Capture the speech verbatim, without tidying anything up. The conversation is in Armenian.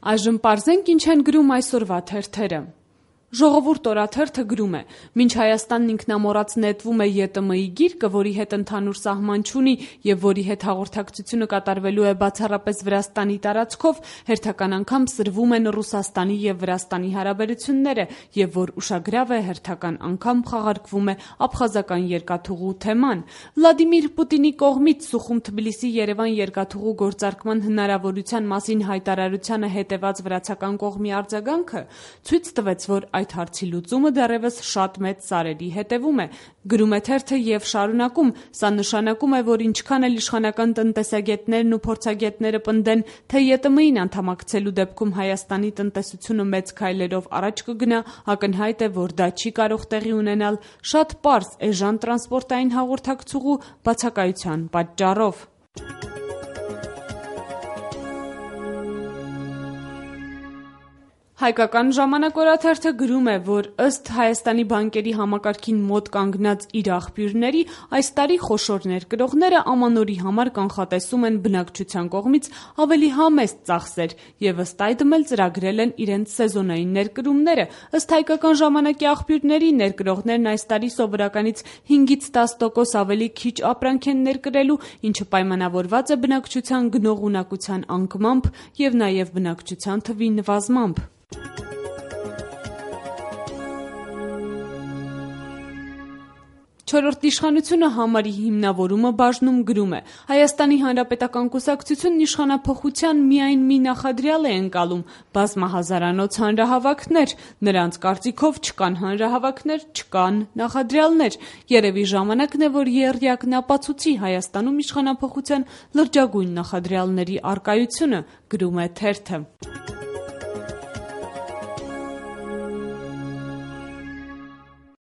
Այժմ պարզենք ինչ են գրում այսօրվա թերթերը։ Ժողովուրդ օրաթերթը գրում է. «Մինչ Հայաստանն ինքնամոռաց նետվում է Ե Տ Մ-ի գիրկը, որի հետ ընդհանուր սահման չունի եւ որի հետ հաղորդակցությունը կատարվելու է բացառապես Վրաստանի տարածքով, հերթական անգամ սրվում են Ռուսաստանի եւ Վրաստանի հարաբերությունները եւ որ ուշագրավ է հերթական անգամ խաղարկվում է աբխազական երկաթուղու թեման։ Վլադիմիր Պուտինի կողմից Սուխում Թբիլիսի-Երևան երկաթուղու գործարկման հնարավորության մասին հայտարարությանը հետեված վրացական կողմի արձագանքը ցույց տվեց, որ այդ հարցի լուծումը դեռևս շատ մեծ սարերի հետևում է», գրում է թերթը եւ շարունակում. «Սա նշանակում է, որ ինչքան էլ իշխանական տնտեսագետներն ու փորձագետները պնդեն, թե Ե Տ Մ-ին անդամակցելու դեպքում Հայաստանի տնտեսությունը մեծ քայլերով առաջ կգնա, ակնհայտ է, որ դա չի կարող տեղի ունենալ շատ պարզ էժան տրանսպորտային հաղորդակցուղու բացակայության պատճառով»։ Հայկական ժամանակ օրաթերթը գրում է, որ ըստ Հայաստանի բանկերի համակարգին մոտ կանգնած իր աղբյուրների, այս տարի խոշոր ներկրողները ամանորի համար կանխատեսում են բնակչության կողմից ավելի համեստ ծախսեր եւ ըստ այդմ էլ ծրագրել են իրենց սեզոնային ներկրումները։ Ըստ Հայկական ժամանակի աղբյուրների, ներկրողներն այս տարի սովորականից հինգից տաս տոկոս ավելի քիչ ապրանք են ներկրելու, ինչը պայմանավորված է բնակչության գնողունակության անկմամբ եւ նաեւ բնակչության թվի նվազմամբ։ Չորրորդ իշխանությունը համարի հիմնավորումը բաժնում գրում է. «Հայաստանի Հանրապետական կուսակցությունն իշխանափոխության միայն մի նախադրյալ է ընկալում՝ բազմահազարանոց հանրահավաքներ։ Նրանց կարծիքով չկան հանրահավաքներ, չկան նախադրյալներ։ Երևի ժամանակն է, որ եռյակն ապացուցի Հայաստանում իշխանափոխության լրջագույն նախադրյալների առկայությունը», գրում է թերթը։